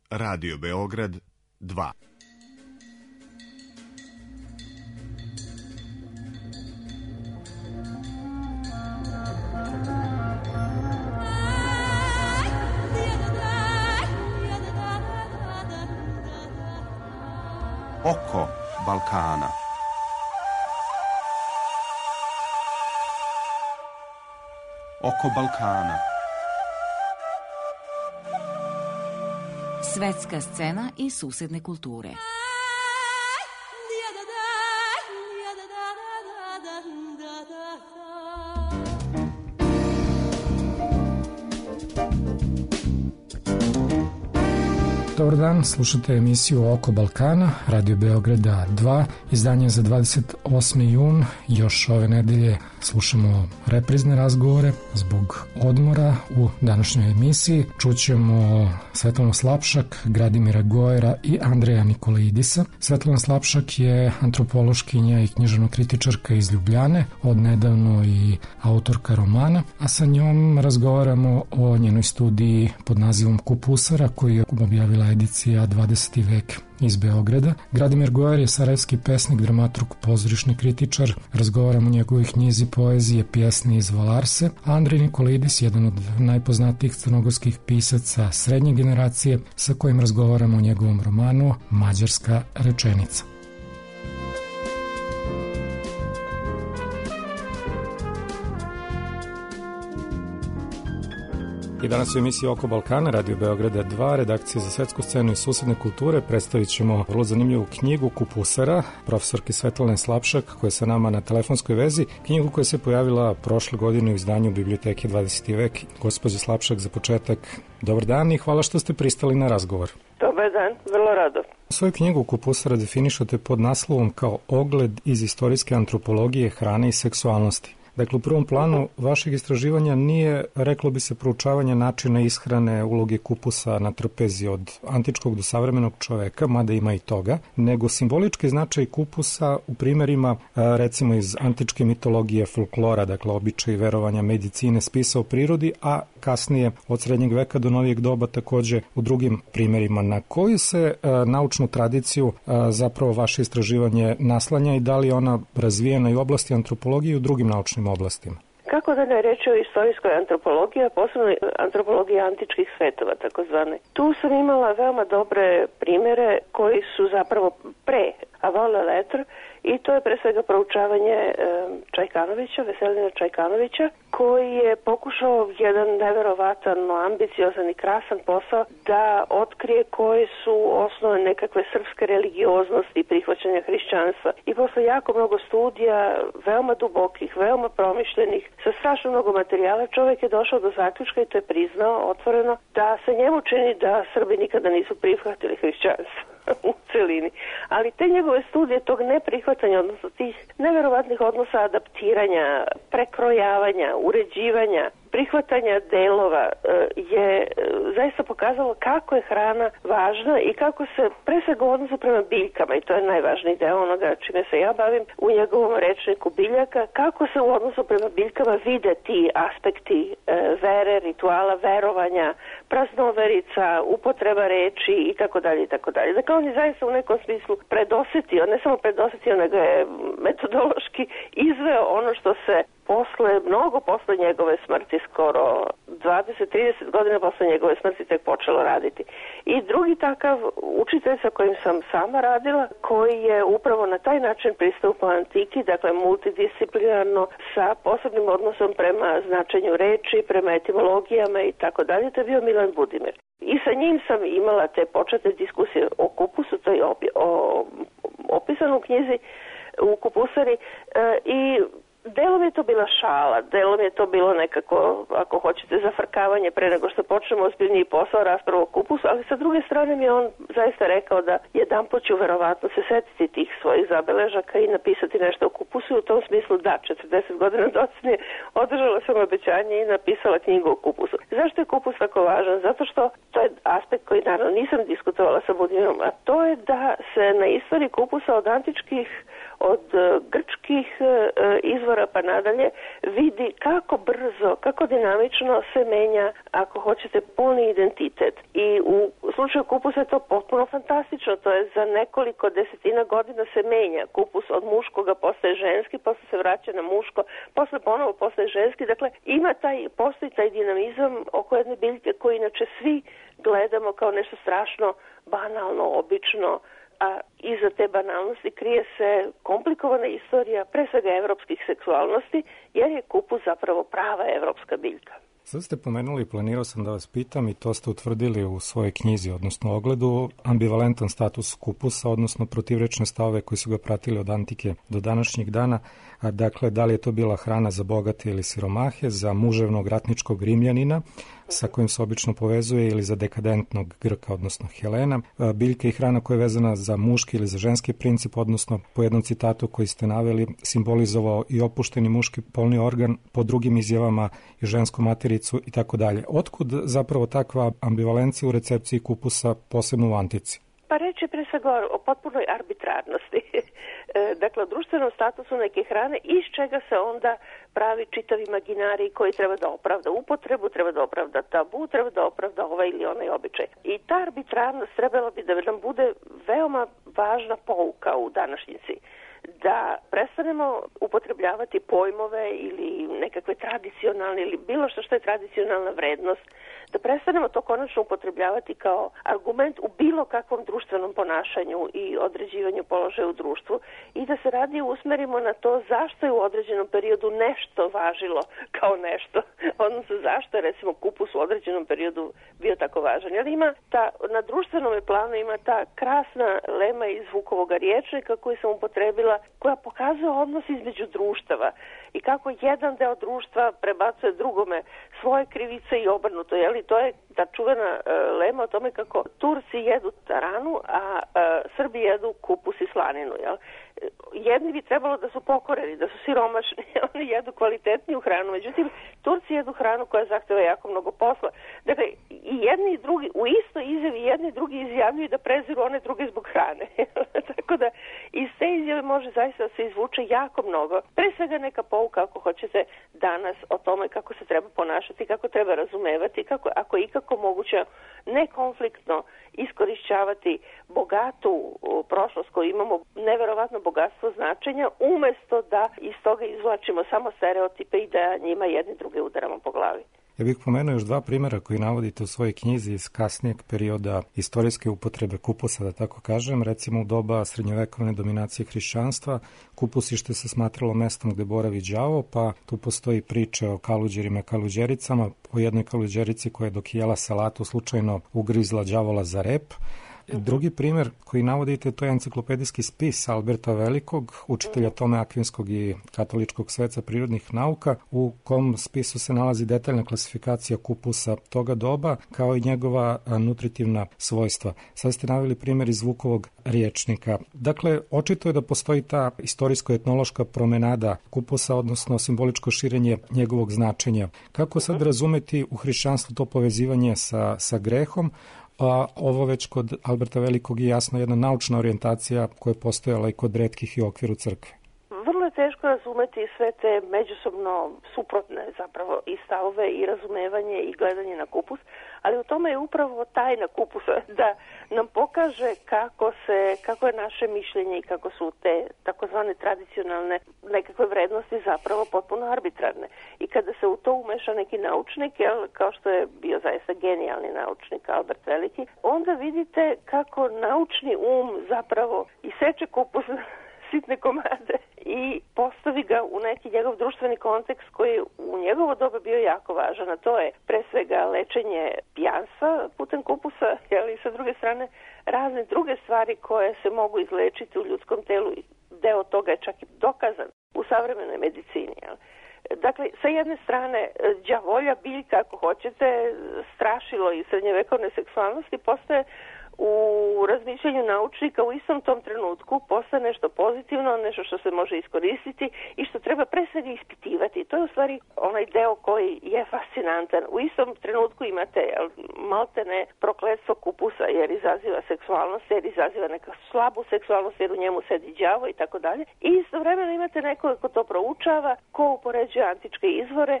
Radio Beograd 2. Oko Balkana. Oko Balkana. Svetska scena i susedne kulture. Dobar dan, slušate emisiju Oko Balkana, Radio Beograda 2, izdanje za 28. jun. Još ove nedelje slušamo reprizne razgovore zbog odmora. U današnjoj emisiji čućemo Svetlanu Slapšak, Gradimira Gojera i Andreja Nikolaidisa. Svetlana Slapšak je antropološkinja i književno-kritičarka iz Ljubljane, odnedavno i autorka romana, a sa njom razgovaramo o njenoj studiji pod nazivom Kupusara, koju je objavila edicija 20. vek iz Beograda. Gradimir Gojer je sarajevski pesnik, dramaturg, pozorišni kritičar. Razgovaramo o njegovoj knjizi poezije Pjesne iz Valarse. Andrej Nikolaidis, jedan od najpoznatijih crnogorskih pisaca srednje generacije, sa kojim razgovaramo o njegovom romanu Mađarska rečenica. I danas u emisiji Oko Balkana, Radio Beograda 2, redakcije za svetsku scenu i susedne kulture, predstavit ćemo vrlo zanimljivu knjigu Kupusara, profesorki Svetlane Slapšak, koja je sa nama na telefonskoj vezi. Knjigu koja se pojavila prošle godine u izdanju Biblioteke 20. vek. Gospođo Slapšak, za početak, dobar dan i hvala što ste pristali na razgovor. Dobar dan, vrlo rado. Svoju knjigu Kupusara definišete pod naslovom kao ogled iz istorijske antropologije hrane i seksualnosti. Dakle, u prvom planu vašeg istraživanja nije, reklo bi se, proučavanje načina ishrane, uloge kupusa na trpezi od antičkog do savremenog čoveka, mada ima i toga, nego simbolički značaj kupusa u primjerima, recimo iz antičke mitologije, folklora, dakle običaj, verovanja, medicine, spisa o prirodi, a kasnije od srednjeg veka do novijeg doba takođe u drugim primjerima. Na koju se naučnu tradiciju zapravo vaše istraživanje naslanja i da li je ona razvijena i u oblasti antropologije i u drugim naučnim oblastima? Kako da ne reći o istorijskoj antropologiji, a posebno antropologiji antičkih svetova, takozvane. Tu sam imala veoma dobre primere koji su zapravo pre avant la lettre, i to je pre svega proučavanje Čajkanovića, Veselina Čajkanovića, koji je pokušao jedan neverovatan, ambiciozan i krasan posao da otkrije koje su osnove nekakve srpske religioznosti i prihvaćanja hrišćanstva. I posle jako mnogo studija, veoma dubokih, veoma promišljenih, sa strašno mnogo materijala, čovjek je došao do zaključka, i to je priznao otvoreno, da se njemu čini da Srbi nikada nisu prihvatili hrišćanstvo u celini. Ali te njegove studije tog neprihvatanja, odnosno tih neverovatnih odnosa adaptiranja, prekrojavanja, uređivanja, prihvatanja delova je zaista pokazalo kako je hrana važna i kako se pre svega u odnosu prema biljkama, i to je najvažniji deo onoga čime se ja bavim u njegovom rečniku biljaka, kako se u odnosu prema biljkama vide ti aspekti vere, rituala, verovanja, praznoverica, upotreba reči i tako dalje i tako dalje. Dakle, on je zaista u nekom smislu predosetio, ne samo predosetio, nego je metodološki izveo ono što se mnogo posle njegove smrti, skoro 20-30 godina posle njegove smrti, tek počelo raditi. I drugi takav učitelj sa kojim sam sama radila, koji je upravo na taj način pristupao antiki, dakle multidisciplinarno, sa posebnim odnosom prema značenju reči, prema etimologijama i tako dalje, to je bio Milan Budimir. I sa njim sam imala te početne diskusije o kupusu, to je opisano u knjizi u Kupusari, i delom je to bila šala, delom je to bilo nekako, ako hoćete, zafrkavanje pre nego što počnemo ozbiljniji posao, raspravu o kupusu, ali sa druge strane mi je on zaista rekao da jedanput ću verovatno se setiti tih svojih zabeležaka i napisati nešto o kupusu, i u tom smislu da, 40 godina docnije održala sam obećanje i napisala knjigu o kupusu. Zašto je kupus tako važan? Zato što to je aspekt koji naravno nisam diskutovala sa Budimirom, a to je da se na istoriji kupusa od antičkih od grčkih izvora pa nadalje vidi kako brzo, kako dinamično se menja, ako hoćete, polni identitet. I u slučaju kupusa je to potpuno fantastično, to je za nekoliko desetina godina se menja. Kupus od muškoga postaje ženski, posle se vraća na muško, posle ponovo postaje ženski. Dakle, postoji taj dinamizam oko jedne biljke koji inače svi gledamo kao nešto strašno banalno, obično, a iza te banalnosti krije se komplikovana istorija, pre svega evropskih seksualnosti, jer je kupus zapravo prava evropska biljka. Sad ste pomenuli, planirao sam da vas pitam i to ste utvrdili u svojoj knjizi, odnosno ogledu, ambivalentan status kupusa, odnosno protivrečne stavove koji su ga pratili od antike do današnjeg dana. Dakle, da li je to bila hrana za bogate ili siromahe, za muževnog ratničkog Rimljanina, sa kojim se obično povezuje, ili za dekadentnog Grka, odnosno Helena. Biljka i hrana koja je vezana za muški ili za ženski princip, odnosno po jednom citatu koji ste naveli, simbolizovao i opušteni muški polni organ, po drugim izjavama i žensku matericu i tako dalje. Otkud zapravo takva ambivalencija u recepciji kupusa, posebno u antici? Pa reći pre svega o potpunoj arbitrarnosti. Dakle, o društvenom statusu neke hrane, iz čega se onda pravi čitav imaginarij koji treba da opravda upotrebu, treba da opravda tabu, treba da opravda ovaj ili onaj običaj. I ta arbitrarnost trebala bi da nam bude veoma važna pouka u današnjici. Da prestanemo upotrebljavati pojmove ili nekakve tradicionalne ili bilo što je tradicionalna vrednost, da prestanemo to konačno upotrebljavati kao argument u bilo kakvom društvenom ponašanju i određivanju položaja u društvu i da se radije usmerimo na to zašto je u određenom periodu nešto važilo kao nešto, odnosno zašto je recimo kupus u određenom periodu bio tako važan. Jer na društvenom planu ima ta krasna lema iz Vukovog rječnika koju sam upotrebila, koja pokazuje odnos između društava i kako jedan deo društva prebacuje drugome svoje krivice i obrnuto. To je ta čuvena lema o tome kako Turci jedu taranu, a Srbi jedu kupus i slaninu. Jedni bi trebalo da su pokoreni, da su siromašni, oni jedu kvalitetniju hranu, međutim Turci jedu hranu koja zahteva jako mnogo posla. Dakle, i jedni i drugi, u istoj izjavi jedni i drugi izjavljuju da preziru one druge zbog hrane. Tako da iz te izjave može zaista da se izvuče jako mnogo. Pre svega neka pouka, ako hoćete, danas o tome kako se treba ponašati, kako treba razumevati, kako, ako je ikako moguće, nekonfliktno iskorišćavati bogatu prošlost koju imamo, neverovatno bogatstvo značenja, umesto da iz toga izvlačimo samo stereotipe i da njima jedni druge udaramo po glavi. Ja bih pomenuo još dva primjera koji navodite u svojoj knjizi iz kasnijeg perioda istorijske upotrebe kupusa, da tako kažem. Recimo u doba srednjovekovne dominacije hrišćanstva, kupusište se smatralo mestom gde boravi đavo, pa tu postoji priča o kaluđerima i kaluđericama, o jednoj kaluđerici koja je dok jela salatu slučajno ugrizla đavola za rep. Drugi primjer koji navodite, to je enciklopedijski spis Alberta Velikog, učitelja Tome Akvinskog i katoličkog sveca prirodnih nauka, u kom spisu se nalazi detaljna klasifikacija kupusa toga doba, kao i njegova nutritivna svojstva. Sad ste naveli primjer iz Vukovog rječnika. Dakle, očito je da postoji ta istorijsko-etnološka promenada kupusa, odnosno simboličko širenje njegovog značenja. Kako sad razumeti u hrišćanstvu to povezivanje sa grehom, a ovo već kod Alberta Velikog je jasno jedna naučna orijentacija koja je postojala i kod retkih i u okviru crkve? Vrlo je teško razumeti sve te međusobno suprotne zapravo i stavove i razumevanje i gledanje na kupus, ali u tome je upravo tajna kupusa da nam pokaže kako je naše mišljenje i kako su te takozvane tradicionalne nekakve vrednosti zapravo potpuno arbitrarne. I kada se u to umeša neki naučnik, kao što je bio zaista genijalni naučnik Albert Veliki, onda vidite kako naučni zapravo iseče kupus sitne komade i postavi ga u neki njegov društveni kontekst koji u njegovo doba bio jako važan, a to je pre svega lečenje pijanstva putem kupusa, i sa druge strane razne druge stvari koje se mogu izlečiti u ljudskom telu i deo toga je čak i dokazan u savremenoj medicini. Dakle, sa jedne strane, đavolja biljka, ako hoćete, strašilo i srednjevekovne seksualnosti, postaje u razmišljanju naučnika u istom tom trenutku postane nešto pozitivno, nešto što se može iskoristiti i što treba pre svega ispitivati. To je u stvari onaj deo koji je fascinantan. U istom trenutku imate maltene prokletstvo kupusa jer izaziva seksualnost, jer izaziva neka slabu seksualnost, jer u njemu sedi đavo i tako dalje. I istovremeno imate nekoga ko to proučava, ko upoređuje antičke izvore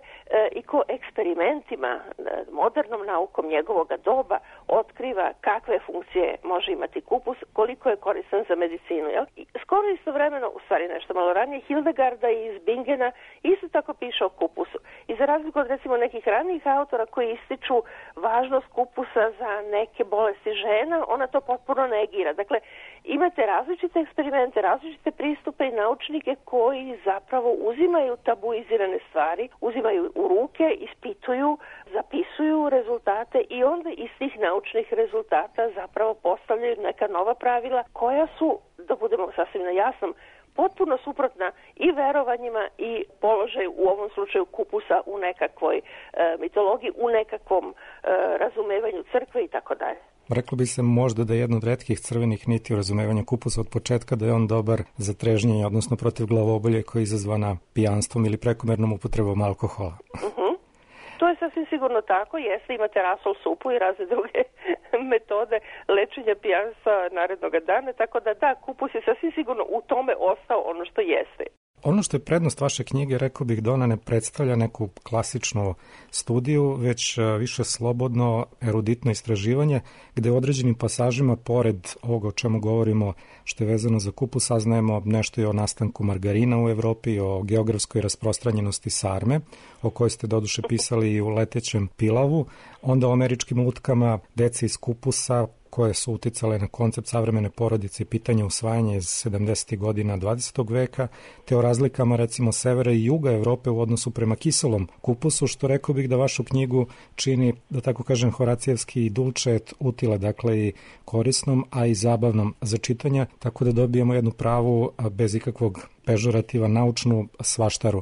i ko eksperimentima, modernom naukom njegovoga doba otkriva kakve funkcije može imati kupus, koliko je koristan za medicinu. Jel? I skoro istovremeno, u stvari nešto malo ranije, Hildegarda iz Bingena isto tako piše o kupusu. I za razliku od recimo nekih ranijih autora koji ističu važnost kupusa za neke bolesti žena, ona to potpuno negira. Dakle, imate različite eksperimente, različite pristupe i naučnike koji zapravo uzimaju tabuizirane stvari, uzimaju u ruke, ispituju, zapisuju rezultate i onda iz tih naučnih rezultata zapravo postavljaju neka nova pravila koja su, da budemo sasvim na jasnom, potpuno suprotna i verovanjima i položaju, u ovom slučaju kupusa u nekakvoj mitologiji, u nekakvom razumevanju crkve i tako dalje. Reklo bi se možda da je jedna od retkih crvenih niti u razumevanju kupusa od početka da je on dobar za trežnjenje, odnosno protiv glavobolje koja je izazvana pijanstvom ili prekomernom upotrebom alkohola. To je sasvim sigurno tako, jeste, imate rasol supu i razne druge metode lečenja pijanstva narednog dana, tako da kupus je sasvim sigurno u tome ostao ono što jeste. Ono što je prednost vaše knjige, rekao bih da ona ne predstavlja neku klasičnu studiju, već više slobodno, eruditno istraživanje, gde u određenim pasažima, pored ovoga o čemu govorimo, što je vezano za kupus, saznajemo nešto i o nastanku margarina u Evropi, o geografskoj rasprostranjenosti sarme, o kojoj ste doduše pisali i u Letećem pilavu, onda o američkim utkama, deci iz kupusa, koje su uticale na koncept savremene porodice i pitanje usvajanja iz 70. godina 20. veka, te o razlikama recimo severa i juga Evrope u odnosu prema kiselom kupusu, što rekao bih da vašu knjigu čini, da tako kažem, horacijevski i dulčet utile, dakle i korisnom, a i zabavnom za čitanje, tako da dobijemo jednu pravu, bez ikakvog pežorativa, naučnu svaštaru.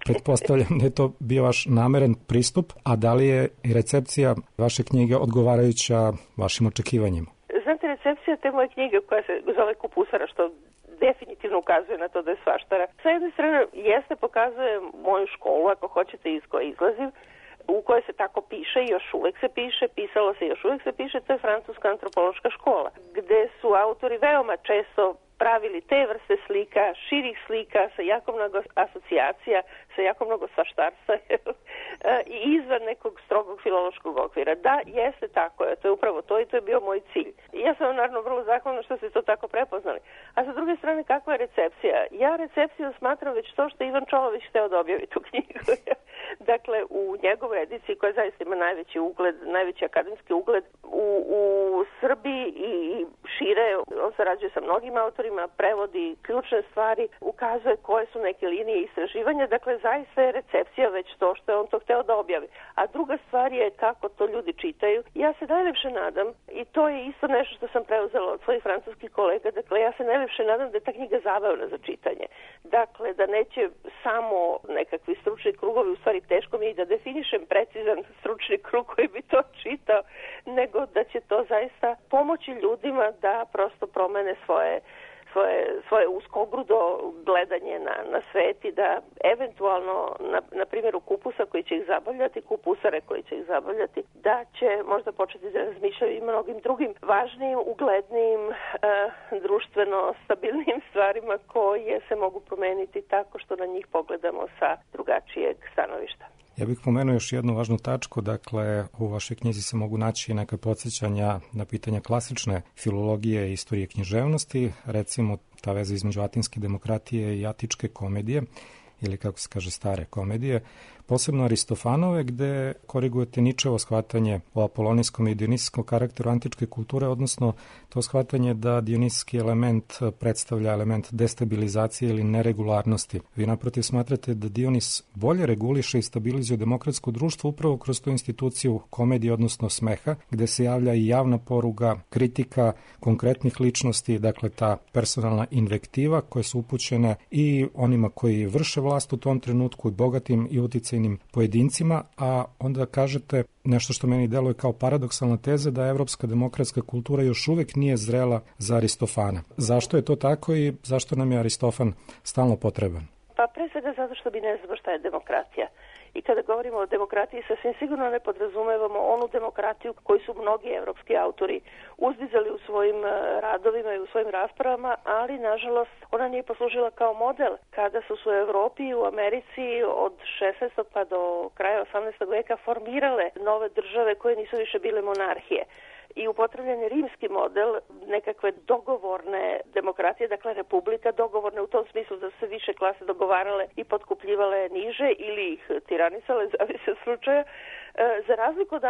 Pretpostavljam da je to bio vaš nameren pristup, a da li je i recepcija vaše knjige odgovarajuća vašim očekivanjima? Znate, recepcija te moje knjige koja se zove Kupusara, što definitivno ukazuje na to da je svaštara. Sa jedne strane jeste, pokazuje moju školu, ako hoćete, iz koje izlazim, u kojoj se tako piše i još uvek se piše, pisalo se i još uvek se piše, to je francuska antropološka škola, gde su autori veoma često pravili te vrste slika, širih slika, sa jako mnogo asocijacija, sa jako mnogo svaštarstva i izvan nekog strogog filološkog okvira. Da, jeste tako, to je upravo to i to je bio moj cilj. I ja sam naravno vrlo zahvalna što ste to tako prepoznali. A sa druge strane, kakva je recepcija? Ja recepciju smatram već to što Ivan Čolović hteo da objavi tu knjigu. Dakle, u njegovoj ediciji koja zaista ima najveći ugled, najveći akademski ugled u Srbiji i šire, on sarađuje sa mnogim autorima, prevodi ključne stvari, ukazuje koje su neke linije istraživanja, dakle zaista je recepcija već to što je on to hteo da objavi. A druga stvar je kako to ljudi čitaju. Ja se najlepše nadam, i to je isto nešto što sam preuzela od svojih francuskih kolega, dakle ja se najlepše nadam da je ta knjiga zabavna za čitanje. Dakle, da neće samo nekakvi stručni krugovi, u stvari teško mi je da definišem precizan stručni krug koji bi to čitao, nego da će to zaista pomoći ljudima da prosto promene svoje uskogrudo gledanje na svet i da eventualno na primjeru kupusa koji će ih zabavljati, kupusare koji će ih zabavljati, da će možda početi da razmišljaju i mnogim drugim važnijim, uglednijim, društveno stabilnim stvarima koje se mogu promeniti tako što na njih pogledamo sa drugačijeg stanovišta. Ja bih pomenuo još jednu važnu tačku, dakle u vašoj knjizi se mogu naći neka podsjećanja na pitanja klasične filologije i istorije književnosti, recimo ta veza između atinske demokratije i atičke komedije, ili kako se kaže stare komedije, posebno Aristofanove, gde korigujete Ničevo shvatanje o apolonijskom i dionisijskom karakteru antičke kulture, odnosno to shvatanje da dionisijski element predstavlja element destabilizacije ili neregularnosti. Vi naprotiv smatrate da Dionis bolje reguliše i stabilizuje demokratsko društvo upravo kroz tu instituciju komedije, odnosno smeha, gde se javlja i javna poruga, kritika konkretnih ličnosti, dakle ta personalna invektiva koje su upućene i onima koji vrše vlast u tom trenutku, i bogatim i uticajnim pojedinim pojedincima, a onda kažete nešto što meni deluje kao paradoksalna teza da evropska demokratska kultura još uvek nije zrela za Aristofana. Zašto je to tako i zašto nam je Aristofan stalno potreban? Pa pre svega zato što mi ne znamo šta je demokratija. I kada govorimo o demokratiji, sasvim sigurno ne podrazumevamo onu demokratiju koju su mnogi evropski autori uzdizali u svojim radovima i u svojim raspravama, ali nažalost ona nije poslužila kao model kada su se u Evropi i u Americi od 16. pa do kraja 18. veka formirale nove države koje nisu više bile monarhije. I upotrebljen je rimski model nekakve dogovorne demokratije, dakle republika, dogovorne u tom smislu da su se više klase dogovarale i potkupljivale niže ili ih tiranisale, zavisi od slučaja, za razliku od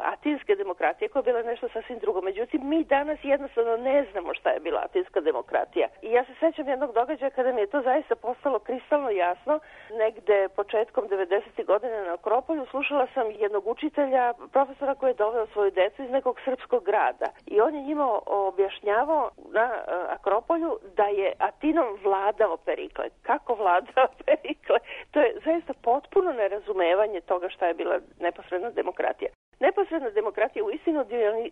atinske demokratije koja je bila nešto sasvim drugo. Međutim, mi danas jednostavno ne znamo šta je bila atinska demokratija. I ja se sećam jednog događaja kada mi je to zaista postalo kristalno jasno. Negde početkom 90. godine na Akropolju slušala sam jednog učitelja, profesora koji je doveo svoju decu iz nekog srpskog grada. I on je njima objašnjavao na Akropolju da je Atinom vladao Perikle. Kako vladao Perikle? To je zaista potpuno nerazumevanje toga šta je bila neposredna demokratija. Neposredna demokratija u istinu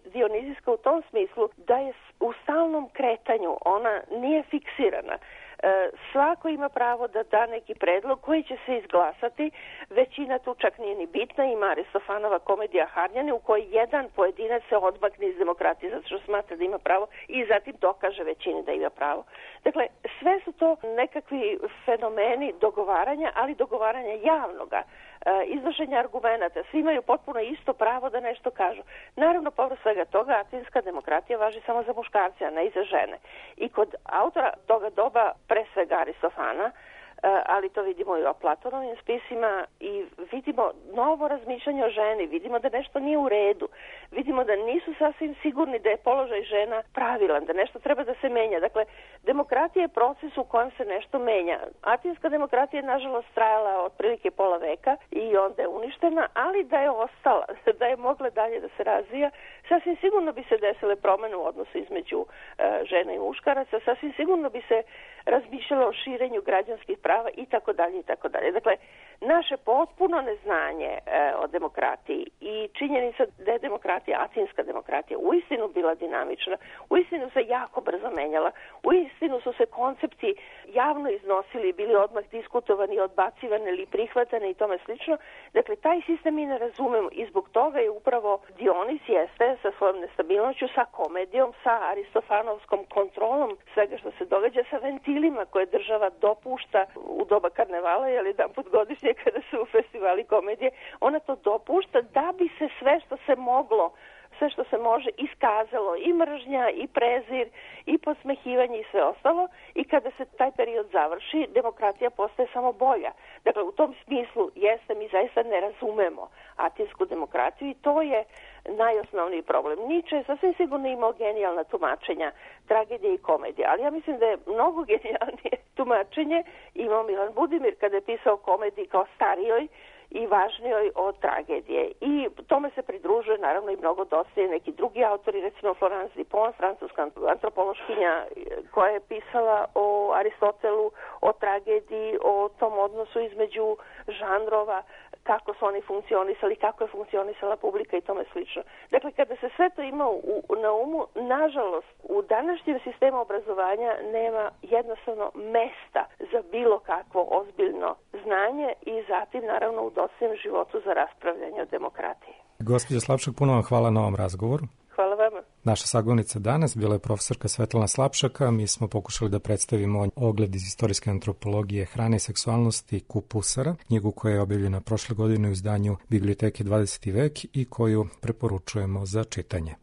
dionizijska u tom smislu da je u stalnom kretanju, ona nije fiksirana. Svako ima pravo da da neki predlog koji će se izglasati, većina tu čak nije ni bitna, ima Aristofanova komedija Harnjani u kojoj jedan pojedinac se odmakne iz demokratije zato što smatra da ima pravo i zatim dokaže većini da ima pravo. Dakle, sve su to nekakvi fenomeni dogovaranja, ali dogovaranja javnoga, iznošenja argumenata. Svi imaju potpuno isto pravo da nešto kažu. Naravno, povrh svega toga, atinska demokratija važi samo za muškarce, a ne i za žene. I kod autora toga doba, pre svega Aristofana, ali to vidimo i o Platonovim spisima i vidimo novo razmišljanje o ženi, vidimo da nešto nije u redu, vidimo da nisu sasvim sigurni da je položaj žena pravilan, da nešto treba da se menja. Dakle, demokratija je proces u kojem se nešto menja. Atinska demokratija je nažalost trajala otprilike pola veka i onda je uništena, ali da je ostala, da je mogla dalje da se razvija, sasvim sigurno bi se desile promene u odnosu između žena i muškaraca, sasvim sigurno bi se razmišljalo o širenju građanskih prava i tako dalje i tako dalje. Dakle, naše potpuno neznanje o demokratiji i činjenica da je demokratija, atinska demokratija, uistinu bila dinamična, uistinu se jako brzo menjala, uistinu su se koncepti javno iznosili, bili odmah diskutovani, odbacivani ili prihvatani i tome slično. Dakle, taj sistem mi ne razumemo i zbog toga je upravo Dionis jeste sa svojom nestabilnošću, sa komedijom, sa aristofanovskom kontrolom svega što se događa, sa ventilima koje država dopušta u doba karnevala, jer jedan put godišnje kada su u festivali komedije, ona to dopušta da bi se sve što se moglo, sve što se može iskazalo, i mržnja, i prezir, i podsmehivanje i sve ostalo, i kada se taj period završi, demokratija postaje samo bolja. Dakle, u tom smislu jeste, mi zaista ne razumemo atinsku demokratiju i to je najosnovniji problem. Nietzsche je sasvim sigurno imao genijalna tumačenja tragedije i komedije, ali ja mislim da je mnogo genijalnije tumačenje imao Milan Budimir kada je pisao komediji kao starijoj i važnijoj od tragedije. I tome se pridružuje naravno i mnogo doslije neki drugi autori, recimo Florence Dupont, francuska antropološkinja koja je pisala o Aristotelu, o tragediji, o tom odnosu između žanrova, kako su oni funkcionisali, kako je funkcionisala publika i tome slično. Dakle, kada se sve to ima na umu, nažalost, u današnjem sistemu obrazovanja nema jednostavno mesta za bilo kakvo ozbiljno znanje i zatim, naravno, u dosljednom životu za raspravljanje o demokratiji. Gospođo Slapšak, puno vam hvala na ovom razgovoru. Hvala vama. Naša sagovornica danas bila je profesorka Svetlana Slapšaka. Mi smo pokušali da predstavimo ogled iz istorijske antropologije hrane i seksualnosti Kupusara, knjigu koja je objavljena prošle godine u izdanju Biblioteke 20. vek i koju preporučujemo za čitanje.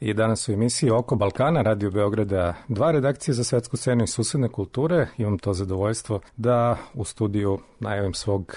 I danas u emisiji Oko Balkana, Radio Beograda 2, redakcije za svetsku scenu i susedne kulture. Imam to zadovoljstvo da u studiju najavim svog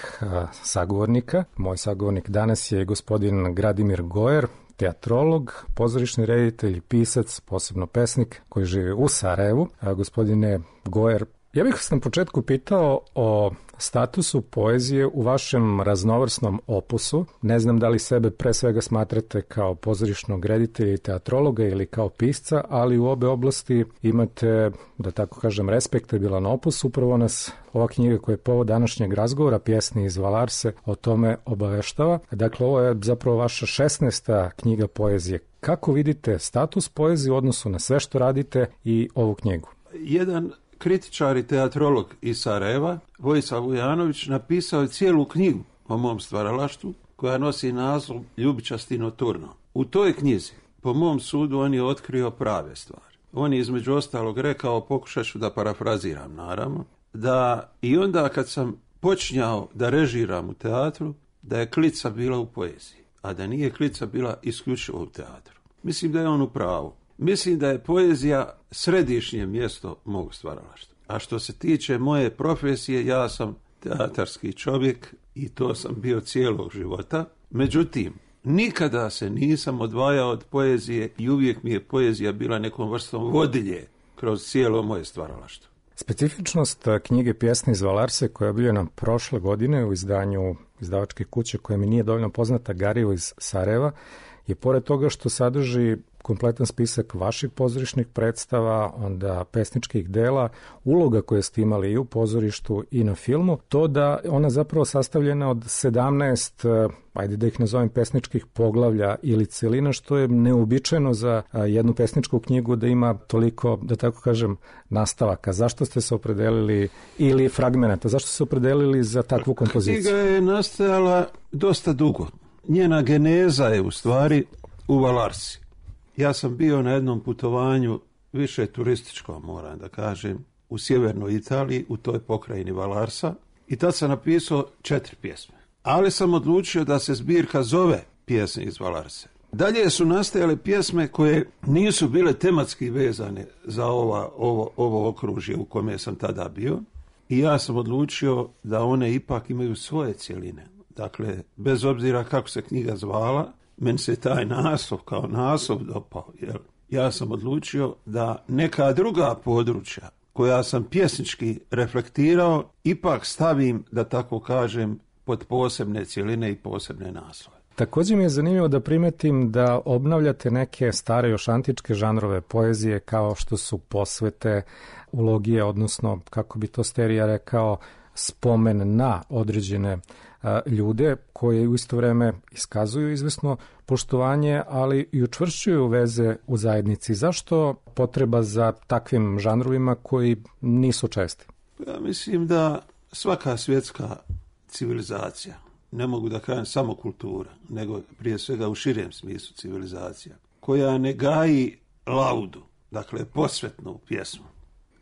sagovornika. Moj sagovornik danas je gospodin Gradimir Gojer, teatrolog, pozorišni reditelj, pisac, posebno pesnik koji živi u Sarajevu. Gospodine Gojer, ja bih vas na početku pitao o statusu poezije u vašem raznovrsnom opusu. Ne znam da li sebe pre svega smatrate kao pozorišnog reditelja i teatrologa ili kao pisca, ali u obe oblasti imate, da tako kažem, respektabilan opus. Upravo nas ova knjiga koja je povod današnjeg razgovora, Pjesme iz Valarse, o tome obaveštava. Dakle, ovo je zapravo vaša 16. knjiga poezije. Kako vidite status poezije u odnosu na sve što radite i ovu knjigu? Jedan kritičar i teatrolog iz Sarajeva, Vojislav Vujanović, napisao je cijelu knjigu o mom stvaralaštvu koja nosi naslov Ljubičasti noturno. U toj knjizi, po mom sudu, on je otkrio prave stvari. On je između ostalog rekao, pokušat ću da parafraziram naravno, da i onda kad sam počinjao da režiram u teatru, da je klica bila u poeziji, a da nije klica bila isključivo u teatru. Mislim da je on u pravu. Mislim da je poezija središnje mjesto mog stvaralaštva. A što se tiče moje profesije, ja sam teatarski čovjek i to sam bio cijelog života. Međutim, nikada se nisam odvajao od poezije i uvijek mi je poezija bila nekom vrstom vodilje kroz cijelo moje stvaralaštvo. Specifičnost knjige Pjesme iz Valarse, koja je objavljena prošle godine u izdanju izdavačke kuće koja mi nije dovoljno poznata, Garivo iz Sarajeva, je pored toga što sadrži kompletan spisak vaših pozorišnih predstava, onda pesničkih dela, uloga koje ste imali i u pozorištu i na filmu, to da ona zapravo sastavljena od 17, ajde da ih nazovem, pesničkih poglavlja ili celina, što je neuobičajeno za jednu pesničku knjigu da ima toliko, da tako kažem, nastavaka. Zašto ste se opredelili, ili fragmenata, zašto ste se opredelili za takvu kompoziciju? Knjiga je nastajala dosta dugo. Njena geneza je u stvari u Valarsi. Ja sam bio na jednom putovanju, više turističkom, moram da kažem, u sjevernoj Italiji, u toj pokrajini Valarsa, i tad sam napisao 4 pjesme. Ali sam odlučio da se zbirka zove Pjesme iz Valarse. Dalje su nastajale pjesme koje nisu bile tematski vezane za ovo okružje u kome sam tada bio, i ja sam odlučio da one ipak imaju svoje cjeline. Dakle, bez obzira kako se knjiga zvala, meni se taj naslov kao naslov dopao. Jer ja sam odlučio da neka druga područja koja sam pjesnički reflektirao ipak stavim, da tako kažem, pod posebne cjeline i posebne naslove. Također mi je zanimljivo da primetim da obnavljate neke stare još antičke žanrove poezije kao što su posvete, ulogije, odnosno, kako bi to Sterija rekao, spomen na određene ljude koje u isto vreme iskazuju izvesno poštovanje, ali i učvršćuju veze u zajednici. Zašto potreba za takvim žanrovima koji nisu česti? Ja mislim da svaka svjetska civilizacija, ne mogu da kažem samo kultura, nego prije svega u širem smislu civilizacija, koja ne gaji laudu, dakle posvetnu pjesmu,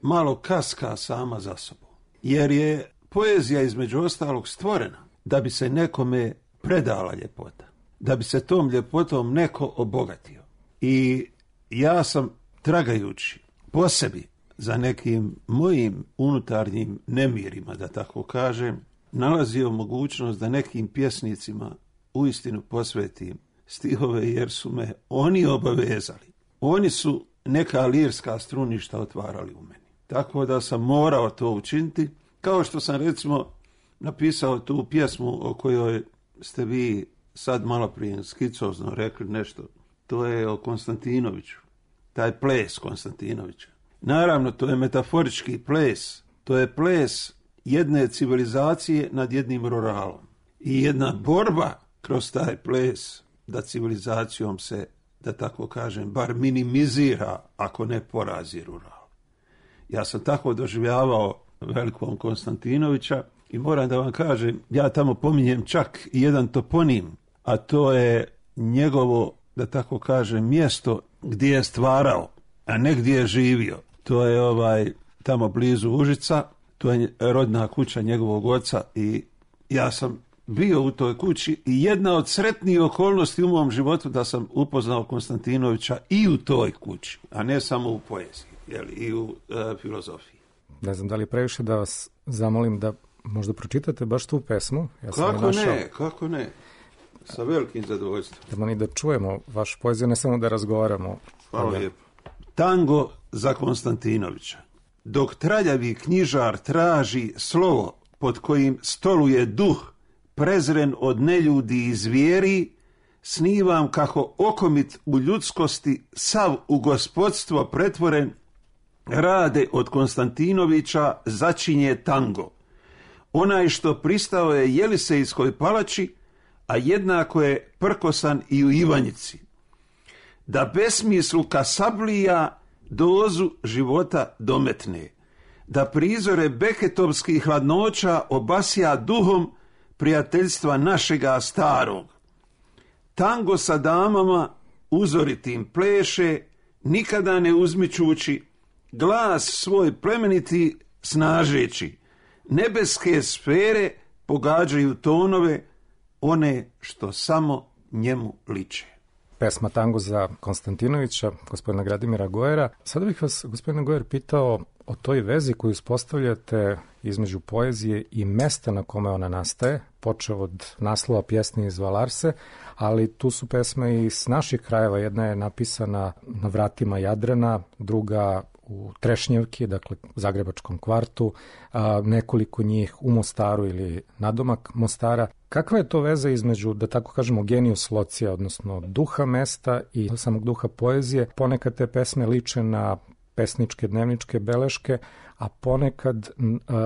malo kaska sama za sobom. Jer je poezija između ostalog stvorena da bi se nekome predala ljepota, da bi se tom ljepotom neko obogatio. I ja sam, tragajući po sebi za nekim mojim unutarnjim nemirima, da tako kažem, nalazio mogućnost da nekim pjesnicima uistinu posvetim stihove, jer su me oni obavezali. Oni su neka lirska struništa otvarali u meni. Tako da sam morao to učiniti, kao što sam recimo napisao tu pjesmu o kojoj ste vi sad malo prije skicozno rekli nešto. To je o Konstantinoviću, taj ples Konstantinovića. Naravno, to je metaforički ples, to je ples jedne civilizacije nad jednim ruralom. I jedna borba kroz taj ples da civilizacijom se, da tako kažem, bar minimizira, ako ne porazi rural. Ja sam tako doživljavao velikog Konstantinovića i moram da vam kažem, ja tamo pominjem čak i jedan toponim, a to je njegovo, da tako kažem, mjesto gdje je stvarao, a ne gdje je živio. To je tamo blizu Užica, to je rodna kuća njegovog oca i ja sam bio u toj kući i jedna od sretnijih okolnosti u mom životu da sam upoznao Konstantinovića i u toj kući, a ne samo u poeziji, i u filozofiji. Ne znam da li je previše da vas zamolim da možda pročitate baš tu pesmu. Ja sam kako ne. Sa velikim zadovoljstvom. Da čujemo vašu poeziju, ne samo da razgovaramo. Hvala lijepo. Tango za Konstantinovića. Dok traljavi knjižar traži slovo pod kojim stoluje duh, prezren od neljudi i zvijeri, snivam kako okomit u ljudskosti, sav u gospodstvo pretvoren, rade od Konstantinovića začinje tango. Onaj što pristao je Jelisejskoj palači, a jednako je prkosan i u Ivanjici. Da besmisluka sablija dozu života dometne, da prizore beketovskih hladnoća obasja duhom prijateljstva našega starog. Tango sa damama uzoritim pleše, nikada ne uzmičući, glas svoj plemeniti snažeći, nebeske sfere pogađaju tonove, one što samo njemu liče. Pesma Tango za Konstantinovića, gospodina Gradimira Gojera. Sada bih vas, gospodine Gojer, pitao o toj vezi koju uspostavljate između poezije i mesta na kome ona nastaje, počeo od naslova pjesme iz Valarse, ali tu su pesme i s naših krajeva. Jedna je napisana na vratima Jadrana, druga u Trešnjevki, dakle Zagrebačkom kvartu, nekoliko njih u Mostaru ili nadomak Mostara. Kakva je to veza između, da tako kažemo, genius locija, odnosno duha mesta i samog duha poezije? Ponekad te pesme liče na pesničke dnevničke beleške, a ponekad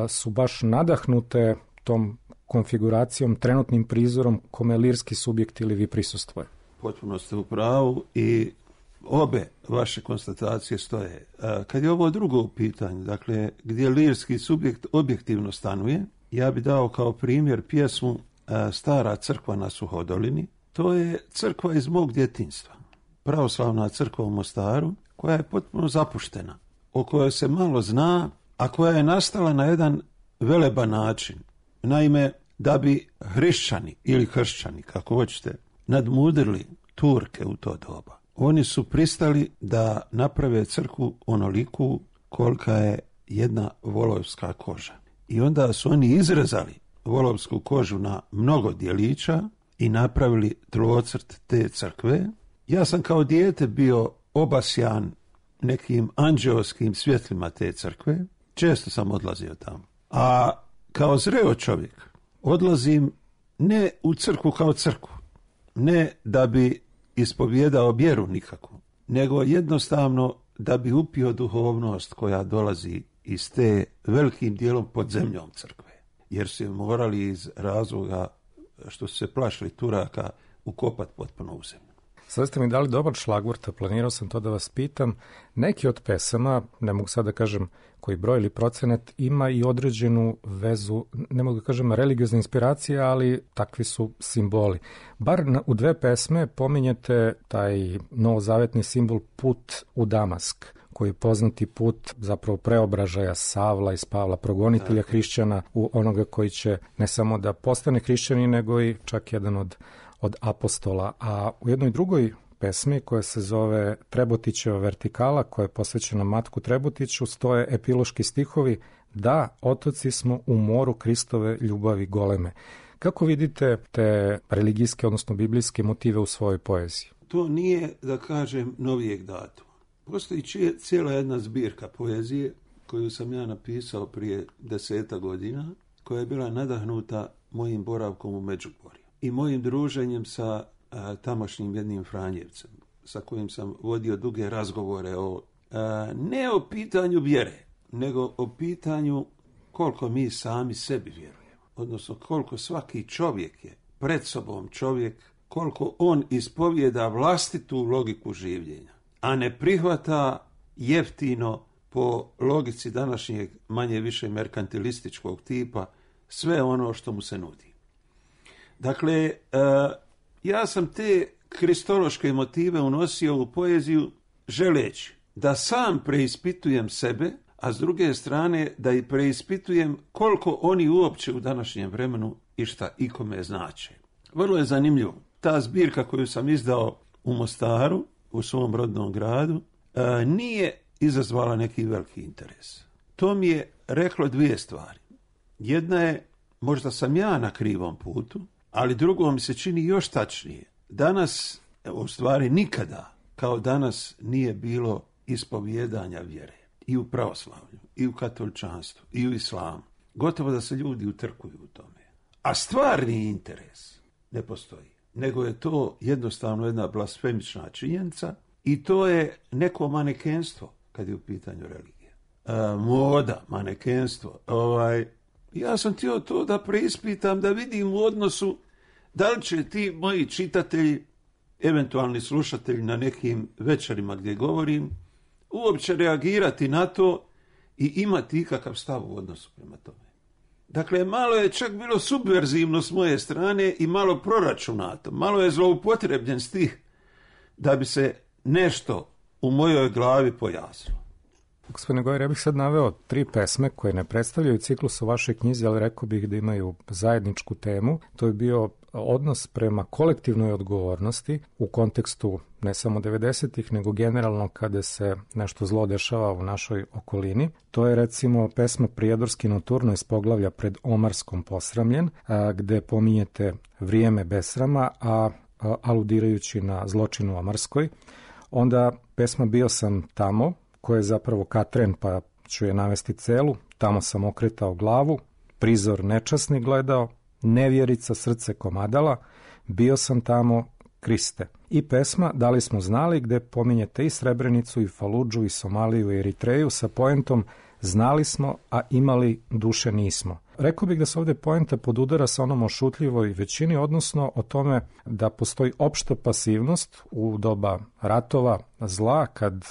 su baš nadahnute tom konfiguracijom, trenutnim prizorom kome lirski subjekt ili vi prisustvuje. Potpuno ste u pravu i obe vaše konstatacije stoje. Kad je ovo drugo u pitanju, dakle, gdje lirski subjekt objektivno stanuje, ja bi dao kao primjer pjesmu Stara crkva na Suhodolini. To je crkva iz mog djetinjstva. Pravoslavna crkva u Mostaru, koja je potpuno zapuštena, o kojoj se malo zna, a koja je nastala na jedan veleban način. Naime, da bi hrišćani ili kršćani, kako hoćete, nadmudrili Turke u to doba, oni su pristali da naprave crkvu onoliku kolika je jedna volovska koža. I onda su oni izrezali volovsku kožu na mnogo dijelića i napravili tlocrt te crkve. Ja sam kao dijete bio obasjan nekim anđeoskim svjetlima te crkve. Često sam odlazio tamo. A kao zreo čovjek odlazim ne u crkvu kao crkvu. Ne da bi ispovijedao vjeru nikakvu, nego jednostavno da bi upio duhovnost koja dolazi iz te velikim dijelom pod zemljom crkve. Jer su je morali iz razloga što su se plašili Turaka ukopat potpuno u zemlju. Sada ste mi dali dobar šlagvort, planirao sam to da vas pitam. Neki od pesama, ne mogu sad da kažem koji broj ili procenat, ima i određenu vezu, ne mogu da kažem religiozna inspiracija, ali takvi su simboli. Bar u dve pesme pominjete taj novozavetni simbol put u Damask, koji je poznati put zapravo preobražaja Savla iz Pavla, progonitelja hrišćana u onoga koji će ne samo da postane hrišćanin, nego i čak jedan od apostola. A u jednoj drugoj pesmi koja se zove Trebotićeva vertikala, koja je posvećena Matku Trebotiću, stoje epiloški stihovi: Da, otoci smo u moru Kristove ljubavi goleme. Kako vidite te religijske, odnosno biblijske motive u svojoj poeziji? To nije, da kažem, novijeg datuma. Postoji cijela jedna zbirka poezije koju sam ja napisao prije 10 godina, koja je bila nadahnuta mojim boravkom u Međugorju i mojim druženjem sa tamošnjim jednim Franjevcem, sa kojim sam vodio duge razgovore ne o pitanju vjere, nego o pitanju koliko mi sami sebi vjerujemo. Odnosno koliko svaki čovjek je pred sobom čovjek, koliko on ispovijeda vlastitu logiku življenja, a ne prihvata jeftino po logici današnjeg manje više merkantilističkog tipa sve ono što mu se nudi. Dakle, ja sam te kristološke motive unosio u poeziju želeći da sam preispitujem sebe, a s druge strane da i preispitujem koliko oni uopće u današnjem vremenu i šta ikome znače. Vrlo je zanimljivo. Ta zbirka koju sam izdao u Mostaru, u svom rodnom gradu, nije izazvala neki veliki interes. To mi je reklo dvije stvari. Jedna je, možda sam ja na krivom putu, ali drugo mi se čini još tačnije. Danas, u stvari nikada, kao danas nije bilo ispovijedanja vjere. I u pravoslavlju, i u katoličanstvu, i u islamu. Gotovo da se ljudi utrkuju u tome. A stvarni interes ne postoji. Nego je to jednostavno jedna blasfemična činjenica i to je neko manekenstvo kad je u pitanju religije. Moda, manekenstvo. Ja sam htio to da preispitam, da vidim u odnosu da li će ti moji čitatelji, eventualni slušatelji na nekim večerima gdje govorim, uopće reagirati na to i imati ikakav stav u odnosu prema tome. Dakle, malo je čak bilo subverzivno s moje strane i malo proračunato, malo je zloupotrebljen stih da bi se nešto u mojoj glavi pojasnilo. Gospodine Gojer, ja bih sad naveo 3 pesme koje ne predstavljaju ciklus u vašoj knjizi, ali rekao bih da imaju zajedničku temu. To je bio odnos prema kolektivnoj odgovornosti u kontekstu ne samo 90-ih, nego generalno kada se nešto zlo dešava u našoj okolini. To je recimo pesma Prijedorski noturno iz poglavlja Pred Omarskom posramljen, gde pominjete vrijeme besrama, a aludirajući na zločin u Omarskoj. Onda pesma Bio sam tamo, koja je zapravo Katren, pa ću je navesti celu. Tamo sam okretao glavu, prizor nečasni gledao, nevjerica srce komadala, bio sam tamo, Kriste. I pesma Da li smo znali, gde pominjete i Srebrenicu, i Faludžu, i Somaliju, i Eritreju sa poentom znali smo, a imali duše nismo. Rekao bih da se ovdje poenta podudara sa onom o šutljivoj većini, odnosno o tome da postoji opšta pasivnost u doba ratova, zla, kad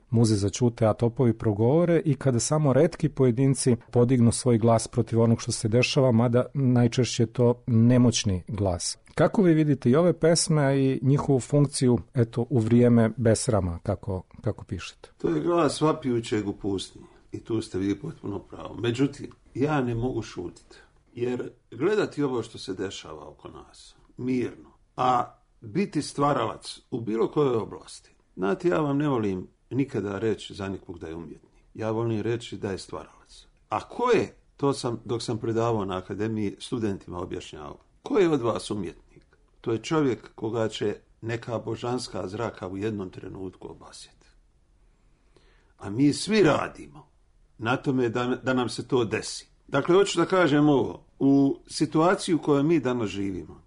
muze zaćute, a topovi progovore, i kada samo retki pojedinci podignu svoj glas protiv onog što se dešava, mada najčešće je to nemoćni glas. Kako vi vidite i ove pesme i njihovu funkciju u vrijeme besrama, kako pišete? To je glas vapijućeg u pustinji. I tu ste vi potpuno pravo. Međutim, ja ne mogu šutiti. Jer gledati ovo što se dešava oko nas, mirno, a biti stvaralac u bilo kojoj oblasti. Znate, ja vam ne volim nikada reći za nikog da je umjetnik. Ja volim reći da je stvaralac. A ko je, to sam, dok sam predavao na akademiji, studentima objašnjavao. Ko je od vas umjetnik? To je čovjek koga će neka božanska zraka u jednom trenutku obasjeti. A mi svi radimo na tome da nam se to desi. Dakle, hoću da kažem ovo. U situaciji u kojoj mi danas živimo,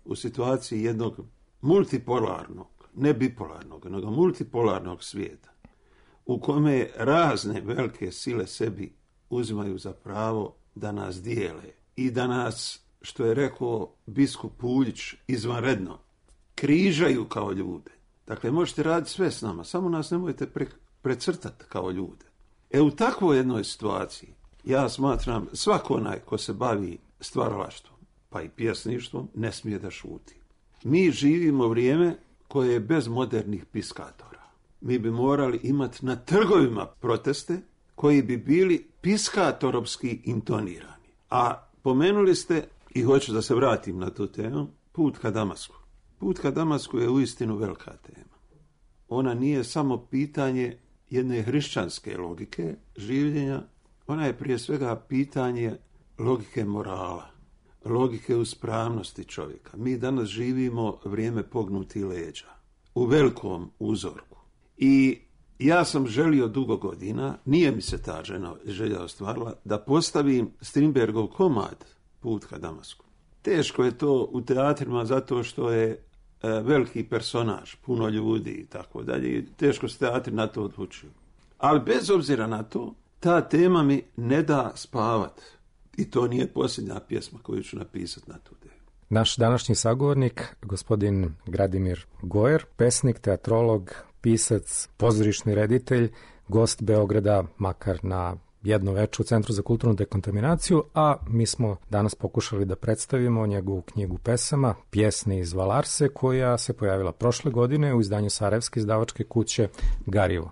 u situaciji jednog multipolarnog, ne bipolarnog, nego multipolarnog svijeta, u kome razne velike sile sebi uzimaju za pravo da nas dijele i da nas, što je rekao biskup Puljić izvanredno, križaju kao ljude. Dakle, možete raditi sve s nama, samo nas nemojte precrtati kao ljude. U takvoj jednoj situaciji ja smatram svako onaj ko se bavi stvaralaštvom, pa i pjesništvom, ne smije da šuti. Mi živimo vrijeme koje je bez modernih piskatora. Mi bi morali imati na trgovima proteste koji bi bili piskatorovski intonirani. A pomenuli ste, i hoću da se vratim na tu temu, put ka Damasku. Put ka Damasku je uistinu velika tema. Ona nije samo pitanje jedne hrišćanske logike življenja, Ona je prije svega pitanje logike morala, logike uspravnosti čovjeka. Mi danas živimo vrijeme pognutih leđa, u velikom uzorku. I ja sam želio dugo godina, nije mi se ta želja ostvarila, da postavim Strindbergov komad Put ka Damasku. Teško je to u teatrima zato što je veliki personaž, puno ljudi i tako dalje. Teško se teatri na to odlučuju. Ali bez obzira na to, ta tema mi ne da spavat. I to nije posljednja pjesma koju ću napisati na tu temu. Naš današnji sagovornik, gospodin Gradimir Gojer, pesnik, teatrolog, pisac, pozorišni reditelj, gost Beograda, makar na jedno veče u Centru za kulturnu dekontaminaciju, a mi smo danas pokušali da predstavimo njegovu knjigu pesama, Pjesne iz Valarse, koja se pojavila prošle godine u izdanju Sarajevske izdavačke kuće Garivo.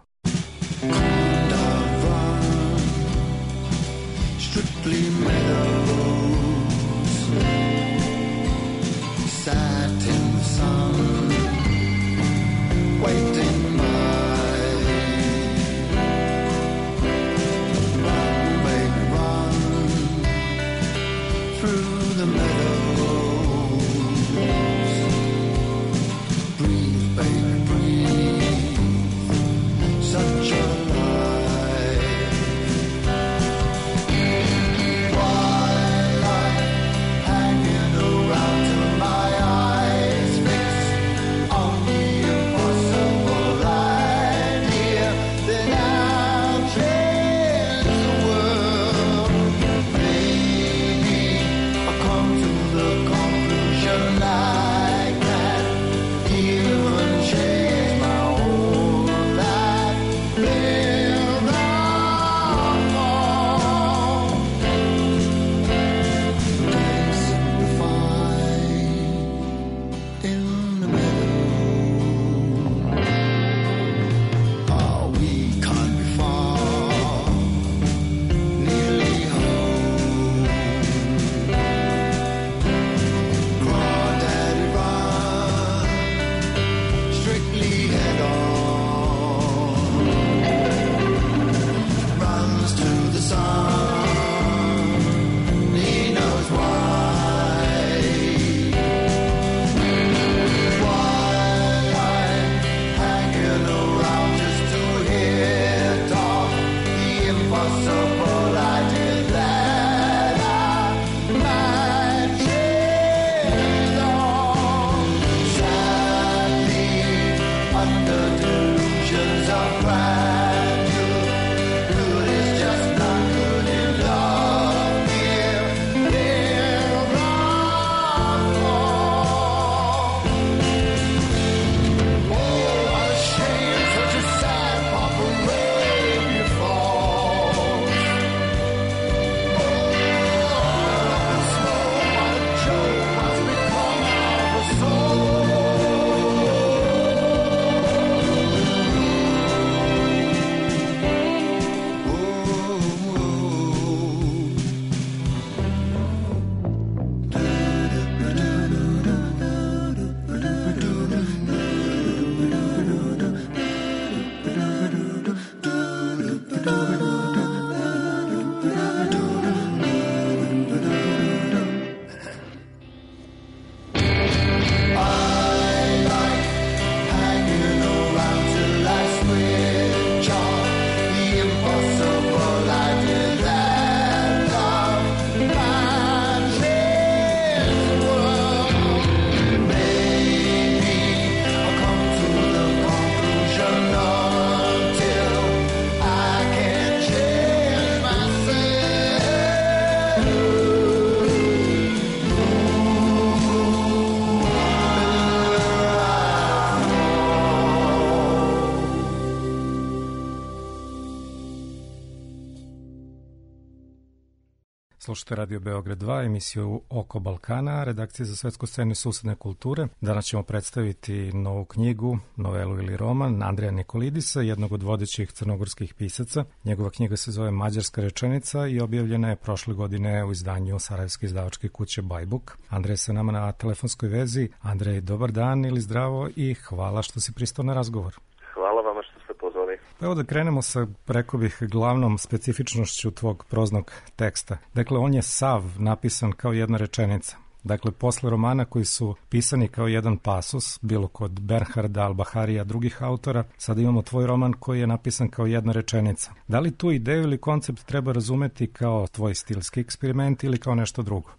Slušajte Radio Beograd 2, emisiju Oko Balkana, redakcije za svetsku scenu i susedne kulture. Danas ćemo predstaviti novu knjigu, novelu ili roman Andreja Nikolidisa, jednog od vodećih crnogorskih pisaca. Njegova knjiga se zove Mađarska rečenica i objavljena je prošle godine u izdanju Sarajevske izdavačke kuće Bajbuk. Andrej je sa nama na telefonskoj vezi. Andrej, dobar dan ili zdravo i hvala što si pristao na razgovor. Hvala vama što ste pozvali. Evo da krenemo sa, rekao bih, glavnom specifičnošću tvog proznog teksta. Dakle, on je sav napisan kao jedna rečenica. Dakle, posle romana koji su pisani kao jedan pasus, bilo kod Bernharda, Al-Baharija, drugih autora, sada imamo tvoj roman koji je napisan kao jedna rečenica. Da li tu ideju ili koncept treba razumeti kao tvoj stilski eksperiment ili kao nešto drugo?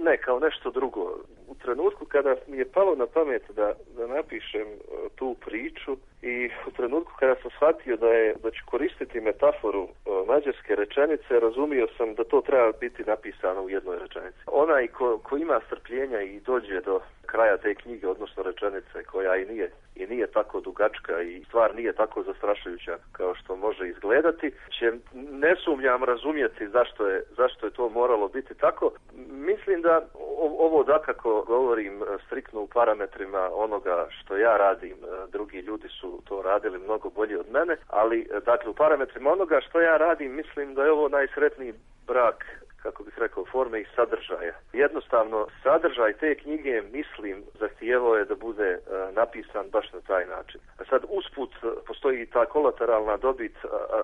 Ne, kao nešto drugo. U trenutku kada mi je palo na pamet da napišem tu priču i u trenutku kada sam shvatio da ću koristiti metaforu mađarske rečenice, razumio sam da to treba biti napisano u jednoj rečenici. Onaj ko ima strpljenja i dođe do kraja te knjige, odnosno rečenice, koja i nije tako dugačka i stvar nije tako zastrašujuća kao što može izgledati, će, ne sumnjam, razumjeti zašto je to moralo biti tako. Mislim da ovo dakako govorim striktno u parametrima onoga što ja radim, drugi ljudi su to radili mnogo bolje od mene, ali dakle u parametrima onoga što ja radim mislim da je ovo najsretniji brak, kako bih rekao, forme i sadržaja. Jednostavno, sadržaj te knjige, mislim, zahtijevao je da bude napisan baš na taj način. A sad, usput, postoji ta kolateralna dobit,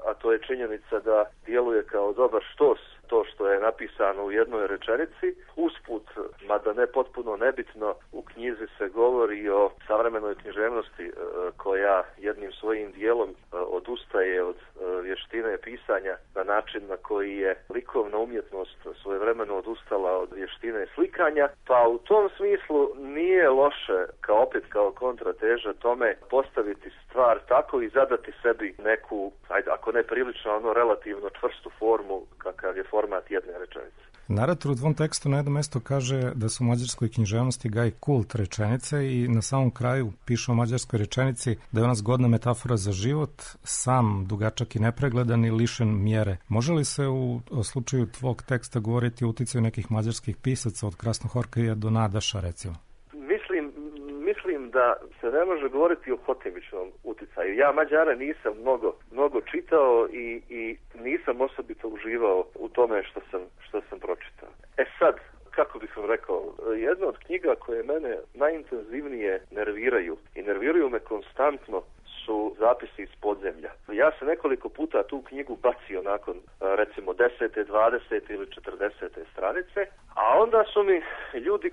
a to je činjenica da djeluje kao dobar štos to što je napisano u jednoj rečenici. Usput, mada ne potpuno nebitno, u knjizi se govori o savremenoj književnosti koja jednim svojim dijelom odustaje od vještine pisanja na način na koji je likovna umjetnost svojevremeno odustala od vještine slikanja, pa u tom smislu nije loše kao kontrateža tome postaviti stvar tako i zadati sebi neku, ako ne prilično, relativno čvrstu formu kakav je format jedne rečenice. Narator u tvom tekstu na jednom mjestu kaže da su u mađarskoj književnosti gaji kult rečenice i na samom kraju piše o mađarskoj rečenici da je ona zgodna metafora za život, sam, dugačak i nepregledan i lišen mjere. Može li se u slučaju tvog teksta govoriti o uticaju nekih mađarskih pisaca od Krasnohorkaja do Nadaša, recimo? Mislim da se ne može govoriti o hotimičnom uticaju. Ja Mađare nisam mnogo čitao i nisam osobito uživao u tome što sam pročitao. Sad, kako bih vam rekao, jedna od knjiga koje mene najintenzivnije nerviraju i nerviraju me konstantno su zapisi iz podzemlja. Ja sam nekoliko puta tu knjigu bacio nakon recimo 10., 20. ili 40. stranice, a onda su mi ljudi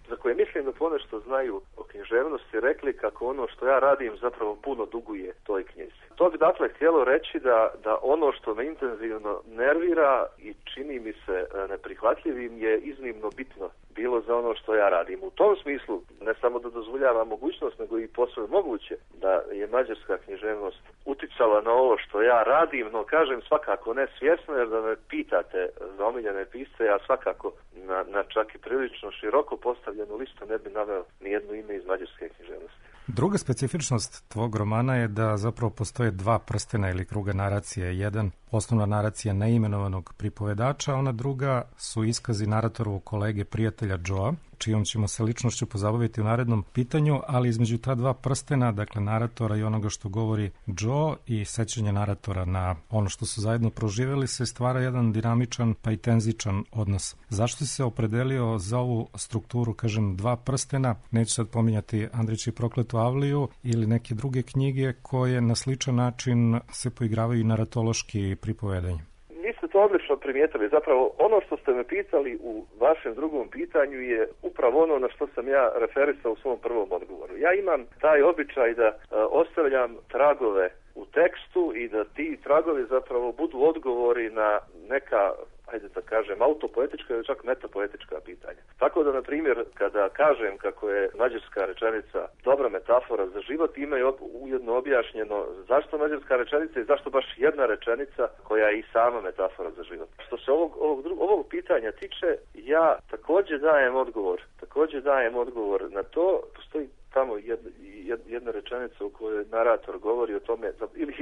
za koje mislim da ponešto znaju o književnosti rekli kako ono što ja radim zapravo puno duguje toj knjizi. To bi dakle htjelo reći da ono što me intenzivno nervira i čini mi se neprihvatljivim je iznimno bitno bilo za ono što ja radim. U tom smislu ne samo da dozvoljava mogućnost, nego i posve moguće da je mađarska književnost uticala na ovo što ja radim, no kažem svakako ne svjesno, jer da me pitate za omiljene pisce, ja svakako na čak i prilično široko postavljenu listu ne bi naveo nijedno ime iz mađarske književnosti. Druga specifičnost tvog romana je da zapravo postoje dva prstena ili kruga naracije. Jedan, osnovna naracija neimenovanog pripovedača, a ona druga su iskazi naratorovog kolege prijatelja Joea, čijom ćemo se ličnošću pozabaviti u narednom pitanju, ali između ta dva prstena, dakle naratora i onoga što govori Joe i sećanje naratora na ono što su zajedno proživjeli, se stvara jedan dinamičan pa i tenzičan odnos. Zašto si se opredelio za ovu strukturu, kažem, dva prstena? Neću sad pominjati Andrić i prokletu Avliju ili neke druge knjige koje na sličan način se poigravaju i naratološki pripovedanje. Niste to odlično primijetili. Zapravo, ono što ste me pitali u vašem drugom pitanju je upravo ono na što sam ja referisao u svom prvom odgovoru. Ja imam taj običaj da ostavljam tragove u tekstu i da ti tragovi zapravo budu odgovori na neka, ajde da kažem, autopoetička ili čak metapoetička pitanja. Tako da, na primjer, kada kažem kako je mađarska rečenica dobra metafora za život, ima je ujedno objašnjeno zašto mađarska rečenica i zašto baš jedna rečenica koja je i sama metafora za život. Što se ovog pitanja tiče, ja također dajem odgovor na to. Postoji tamo jedna rečenica u kojoj narator govori o tome,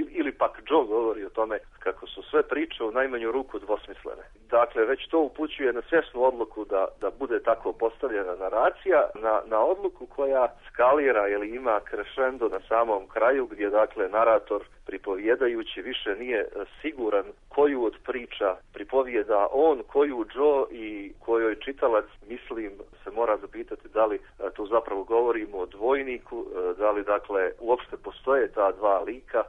ili pak Joe govori o tome kako su sve priče u najmanju ruku dvosmislene. Dakle, već to upućuje na svjesnu odluku da bude tako postavljena naracija, na odluku koja skalira ili ima crescendo na samom kraju, gdje dakle narator pripovjedajući više nije siguran koju od priča pripovijeda on, koju Joe i kojoj čitalac, mislim, se mora zapitati da li tu zapravo govorimo o dvojniku, da li dakle uopšte postoje ta dva lika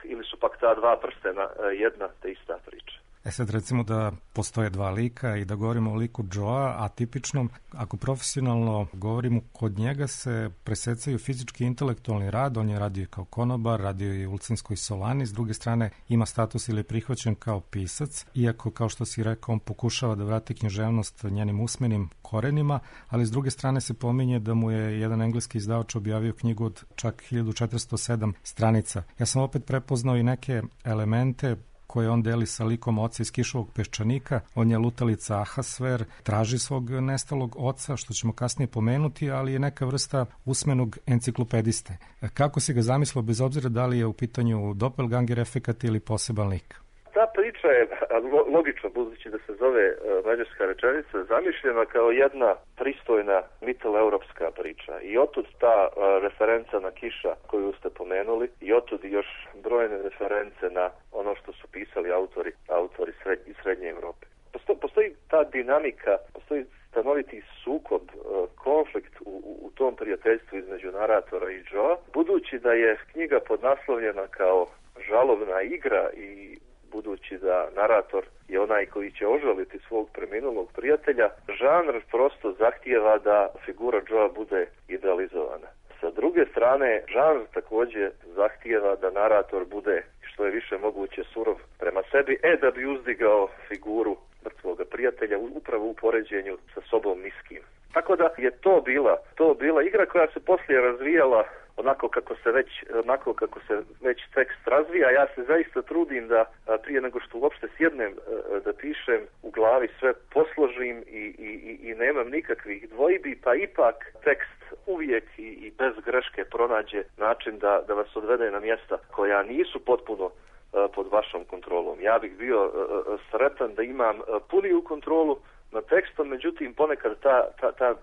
ili su pak ta dva prstena jedna te ista priča. Sad recimo da postoje dva lika i da govorimo o liku Joea, a tipičnom, ako profesionalno govorimo, kod njega se presecaju fizički i intelektualni rad, on je radio i kao konobar, radio i u Ulcinskoj Solani, s druge strane ima status ili je prihvaćen kao pisac, iako kao što si rekao on pokušava da vrati književnost njenim usmenim korenima, ali s druge strane se pominje da mu je jedan engleski izdavač objavio knjigu od čak 1407 stranica. Ja sam opet prepoznao i neke elemente koje on deli sa likom oca iz Kišovog peščanika. On je lutalica Ahasver, traži svog nestalog oca, što ćemo kasnije pomenuti, ali je neka vrsta usmenog enciklopediste. Kako si ga zamislio, bez obzira da li je u pitanju doppelganger efekat ili poseban lik? Ta priča je, logično, budući da se zove mađarska rečenica, zamišljena kao jedna pristojna mitteleuropska priča. I otud ta referenca na Kiša koju ste pomenuli i otud još brojne reference na ono što su pisali autori iz Srednje Evrope. Postoji ta dinamika, postoji stanoviti sukob, konflikt u tom prijateljstvu između naratora i Joea, budući da je knjiga podnaslovljena kao žalobna igra i budući da narator je onaj koji će ožaliti svog preminulog prijatelja, žanr prosto zahtijeva da figura Joea bude idealizovana. Sa druge strane, žanr također zahtijeva da narator bude što je više moguće surov prema sebi, da bi uzdigao figuru mrtvoga prijatelja upravo u poređenju sa sobom niskim. Tako da je to bila igra koja se poslije razvijala onako kako se već tekst razvija. Ja se zaista trudim da prije nego što uopšte sjednem da pišem u glavi sve posložim i nemam nikakvih dvojbi, pa ipak tekst uvijek i bez greške pronađe način da vas odvede na mjesta koja nisu potpuno pod vašom kontrolom. Ja bih bio sretan da imam puniju kontrolu nad tekstom, međutim ponekad